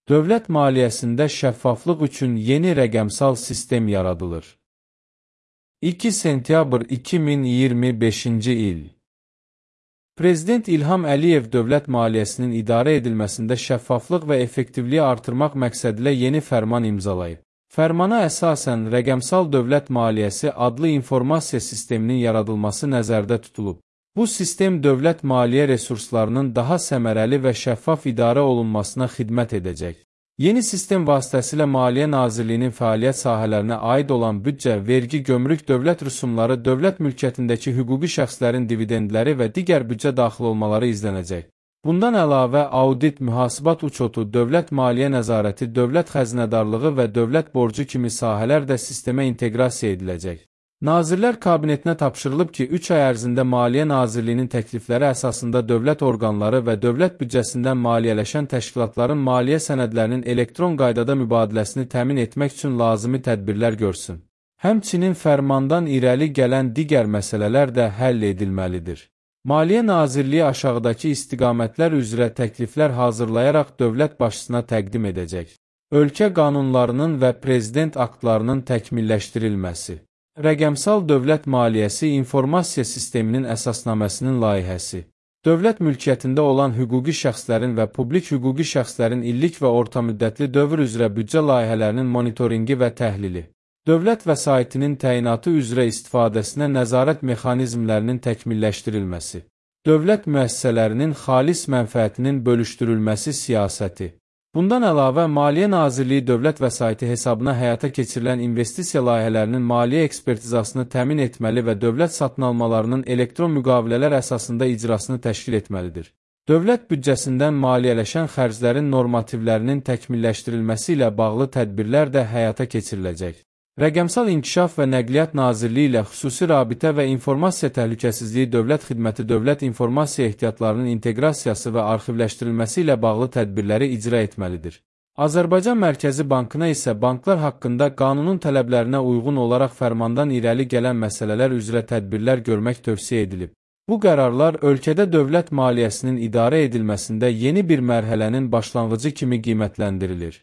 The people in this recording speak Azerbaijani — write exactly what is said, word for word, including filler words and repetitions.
Dövlət maliyyəsində şəffaflıq üçün yeni rəqəmsal sistem yaradılır. iki sentyabr iki min iyirmi beşinci il. Prezident İlham Əliyev dövlət maliyyəsinin idarə edilməsində şəffaflıq və effektivliyi artırmaq məqsədilə yeni fərman imzalayıb. Fərmana əsasən rəqəmsal dövlət maliyyəsi adlı informasiya sisteminin yaradılması nəzərdə tutulub. Bu sistem dövlət maliyyə resurslarının daha səmərəli və şəffaf idarə olunmasına xidmət edəcək. Yeni sistem vasitəsilə Maliyyə Nazirliyinin fəaliyyət sahələrinə aid olan büdcə, vergi, gömrük, dövlət rüsumları, dövlət mülkiyyətindəki hüquqi şəxslərin dividendləri və digər büdcə daxil olmaları izlənəcək. Bundan əlavə, audit, mühasibat uçotu, dövlət maliyyə nəzarəti, dövlət xəzinədarlığı və dövlət borcu kimi sahələr də sistemə inteqrasiya ediləcək. Nazirlər Kabinetinə tapşırılıb ki, üç ay ərzində Maliyyə Nazirliyinin təklifləri əsasında dövlət orqanları və dövlət büdcəsindən maliyyələşən təşkilatların maliyyə sənədlərinin elektron qaydada mübadiləsini təmin etmək üçün lazımi tədbirlər görsün. Həmçinin fərmandan irəli gələn digər məsələlər də həll edilməlidir. Maliyyə Nazirliyi aşağıdakı istiqamətlər üzrə təkliflər hazırlayaraq dövlət başçısına təqdim edəcək. Ölkə qanunlarının və prezident aktlarının təkmilləşdirilməsi. Rəqəmsal dövlət maliyyəsi informasiya sisteminin əsasnaməsinin layihəsi. Dövlət mülkiyyətində olan hüquqi şəxslərin və publik hüquqi şəxslərin illik və ortamüddətli dövr üzrə büdcə layihələrinin monitoringi və təhlili. Dövlət vəsaitinin təyinatı üzrə istifadəsinə nəzarət mexanizmlərinin təkmilləşdirilməsi. Dövlət müəssisələrinin xalis mənfəətinin bölüşdürülməsi siyasəti. Bundan əlavə, Maliyyə Nazirliyi dövlət vəsaiti hesabına həyata keçirilən investisiya layihələrinin maliyyə ekspertizasını təmin etməli və dövlət satın almalarının elektron müqavilələr əsasında icrasını təşkil etməlidir. Dövlət büdcəsindən maliyyələşən xərclərin normativlərinin təkmilləşdirilməsi ilə bağlı tədbirlər də həyata keçiriləcək. Rəqəmsal İnkişaf və Nəqliyyat Nazirliyi ilə xüsusi rabitə və informasiya təhlükəsizliyi dövlət xidməti dövlət informasiya ehtiyatlarının inteqrasiyası və arxivləşdirilməsi ilə bağlı tədbirləri icra etməlidir. Azərbaycan Mərkəzi Bankına isə banklar haqqında qanunun tələblərinə uyğun olaraq fərmandan irəli gələn məsələlər üzrə tədbirlər görmək tövsiyə edilib. Bu qərarlar ölkədə dövlət maliyyəsinin idarə edilməsində yeni bir mərhələnin başlanğıcı kimi qiymətləndirilir.